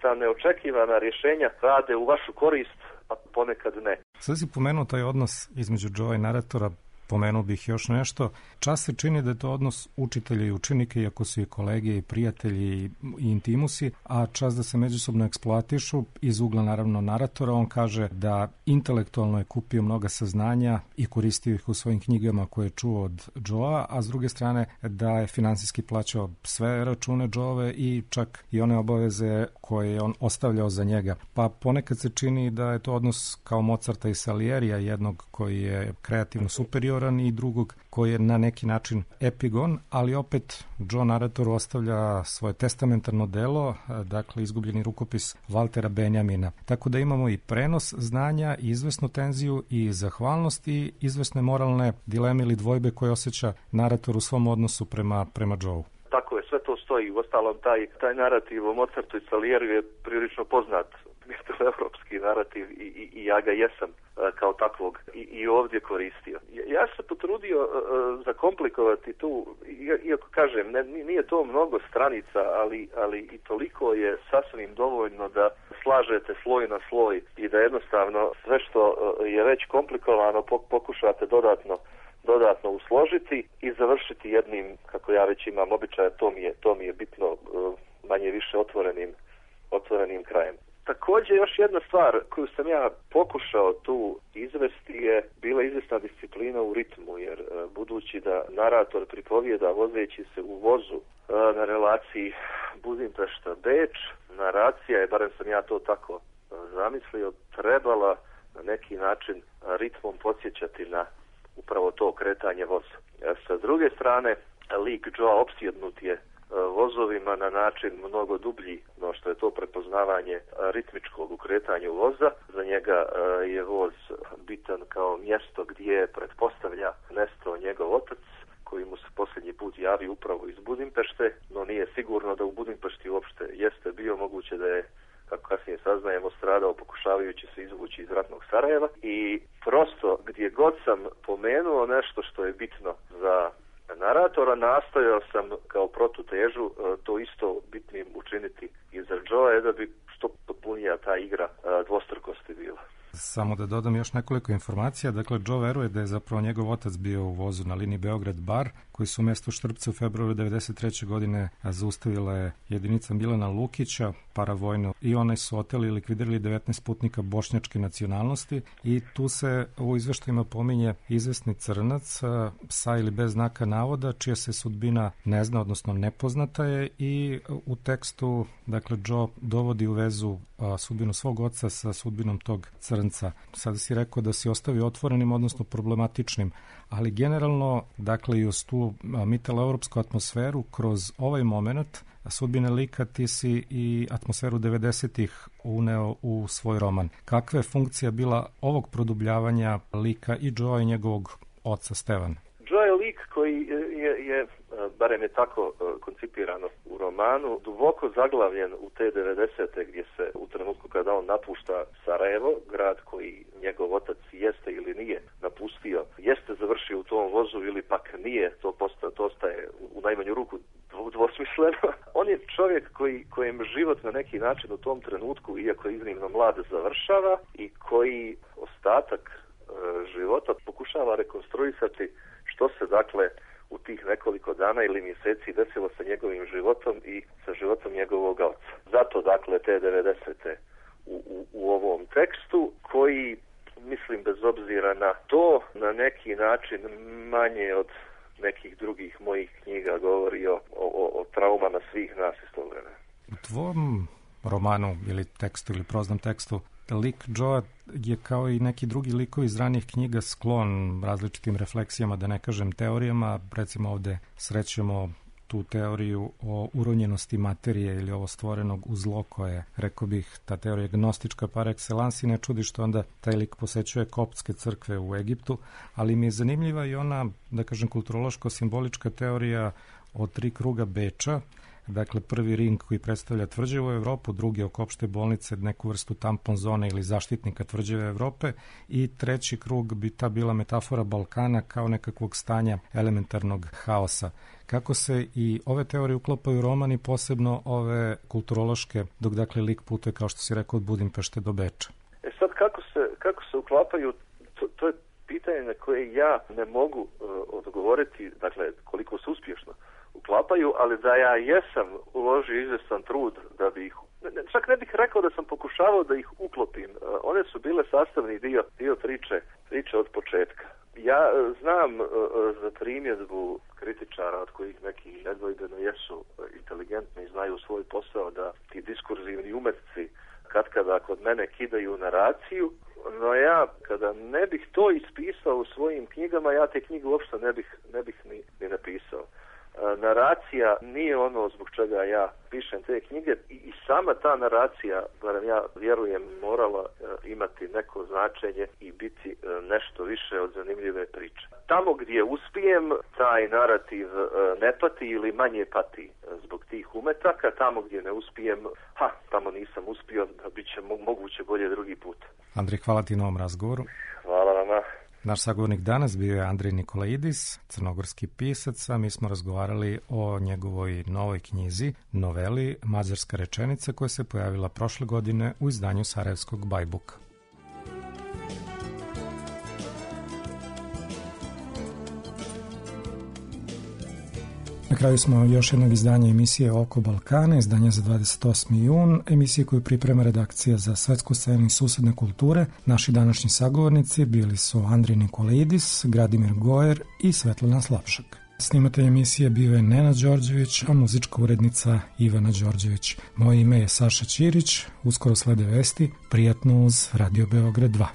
ta neočekivana rješenja rade u vašu korist, a ponekad ne. Sad si pomenuo taj odnos između Joea i naratora, pomenuo bih još nešto. Čas se čini da je to odnos učitelja i učenika, iako su i kolege i prijatelji i intimusi, a čas da se međusobno eksploatišu iz ugla naravno naratora. On kaže da intelektualno je kupio mnoga saznanja i koristio ih u svojim knjigama koje je čuo od Joea, a s druge strane da je finansijski plaćao sve račune Joeve i čak i one obaveze koje je on ostavljao za njega. Pa ponekad se čini da je to odnos kao Mozarta i Salierija, jednog koji je kreativno superioran i drugog koji je na neki način epigon, ali opet Joe naratoru ostavlja svoje testamentarno delo, dakle izgubljeni rukopis Valtera Benjamina. Tako da imamo i prenos znanja, i izvesnu tenziju, i zahvalnost, i izvesne moralne dileme ili dvojbe koje osjeća narator u svom odnosu prema Joeu. Tako je, sve to stoji. Uostalom, taj narativ o Mozartu i Salieru je prilično poznat mitteleuropski narativ i ja ga jesam kao takvog i ovdje koristio. Ja se potrudio zakomplikovati tu, iako kažem, nije to mnogo stranica, ali i toliko je sasvim dovoljno da slažete sloj na sloj i da jednostavno sve što je već komplikovano pokušate dodatno usložiti i završiti jednim, kako ja već imam običaja, to mi je bitno, manje više otvorenim krajem. Također još jedna stvar koju sam ja pokušao tu izvesti je bila izvesna disciplina u ritmu, jer budući da narator pripovijeda vozeći se u vozu na relaciji Budimpešta-Beč, naracija je, barem sam ja to tako zamislio, trebala na neki način ritmom podsjećati na upravo to kretanje voza. Sa druge strane, lik Joea opsjednut je vozovima na način mnogo dublji no što je to prepoznavanje ritmičkog u kretanju voza. Za njega je voz bitan kao mjesto gdje pretpostavlja nestao njegov otac, koji mu se posljednji put javi upravo iz Budimpešte, no nije sigurno da u Budimpešti uopšte jeste bio, moguće da je, kako kasnije saznajemo, stradao pokušavajući se izvući iz ratnog Sarajeva. I prosto gdje god sam pomenuo nešto što je bitno za naratora, nastojao sam kao protutežu to isto bitnim učiniti i za Joea, da bi što potpunija ta igra dvostrukosti bila. Samo da dodam još nekoliko informacija. Dakle, Joe veruje da je zapravo njegov otac bio u vozu na liniji Beograd-Bar, koji su u mestu Štrpce u februaru 1993. godine zaustavila je jedinica Milana Lukića, paravojno, i one su oteli i likvidirali 19 putnika bošnjačke nacionalnosti i tu se u izveštajima pominje izvesni crnac sa ili bez znaka navoda, čija se sudbina ne zna, odnosno nepoznata je, i u tekstu, dakle, Joe dovodi u vezu sudbinu svog oca sa sudbinom tog crnca. Sada si rekao da si ostavio otvorenim, odnosno problematičnim, ali generalno, dakle, i uz tu mitalo-evropsku atmosferu, kroz ovaj moment sudbine lika ti si i atmosferu 90-ih uneo u svoj roman. Kakva je funkcija bila ovog produbljavanja lika i Joe i njegovog oca Stevana? Joe je lik koji je barem je tako koncipirano u romanu, duboko zaglavljen u te 90-te, gdje se u trenutku kada on napušta Sarajevo, grad koji njegov otac jeste ili nije napustio, jeste završio u tom vozu ili pak nije, to ostaje u najmanju ruku dvosmisleno. On je čovjek kojem život na neki način u tom trenutku, iako je iznimno mlad, završava i koji ostatak života pokušava rekonstruisati što se, dakle, u tih nekoliko dana ili mjeseci desilo sa njegovim životom i sa životom njegovog oca. Zato, dakle, te 90-te u ovom tekstu, koji, mislim, bez obzira na to, na neki način manje od nekih drugih mojih knjiga govori o traumama svih nas iz tog vremena. U tvom romanu ili tekstu ili proznom tekstu lik Joe je kao i neki drugi likovi iz ranijih knjiga sklon različitim refleksijama, da ne kažem teorijama. Recimo ovde srećemo tu teoriju o uronjenosti materije ili ovo stvorenog u zlo koje, rekao bih, ta teorija gnostička par excellence, i ne čudi što onda taj lik posećuje koptske crkve u Egiptu, ali mi je zanimljiva i ona, da kažem, kulturološko-simbolička teorija o 3 kruga Beča. Dakle, prvi ring koji predstavlja tvrđavu Evropu, drugi oko opšte bolnice, neku vrstu tampon zone ili zaštitnika tvrđave Evrope, i treći krug bi ta bila metafora Balkana kao nekakvog stanja elementarnog haosa. Kako se i ove teorije uklapaju u roman i posebno ove kulturološke, dok, dakle, lik putuje, kao što si rekao, od Budimpešte do Beča? Sad, kako se uklapaju, to je pitanje na koje ja ne mogu odgovoriti, dakle, koliko se uspješno uklapaju, ali da ja jesam uložio izvestan trud da bi ih, čak ne bih rekao da sam pokušavao da ih uklopim. One su bile sastavni dio priče od početka. Ja znam za primjedbu kritičara, od kojih neki nedvojbeno jesu inteligentni i znaju svoj posao, da ti diskurzivni umetci katkada kod mene kidaju naraciju, no ja kada ne bih to ispisao u svojim knjigama, ja te knjige uopšte ne bih ni napisao. Naracija nije ono zbog čega ja pišem te knjige i sama ta naracija, barem ja vjerujem, morala imati neko značenje i biti nešto više od zanimljive priče. Tamo gdje uspijem, taj narativ ne pati ili manje pati zbog tih umetaka, tamo gdje ne uspijem, tamo nisam uspio, da bit će moguće bolje drugi put. Andrej, hvala ti na ovom razgovoru. Hvala vama. Naš sagovornik danas bio je Andrej Nikolaidis, crnogorski pisac, a mi smo razgovarali o njegovoj novoj knjizi, noveli Mađarska rečenica, koja se pojavila prošle godine u izdanju Sarajevskog Bajbuka. Na kraju smo još jednog izdanja emisije Oko Balkana, izdanja za 28. jun, emisije koju priprema redakcija za svetsku scenu i susedne kulture. Naši današnji sagovornici bili su Andrej Nikolaidis, Gradimir Gojer i Svetlana Slapšak. Snimatelj emisije bio je Nenad Đorđević, a muzička urednica Ivana Đorđević. Moje ime je Saša Ćirić, uskoro slede vesti, prijatno uz Radio Beograd 2.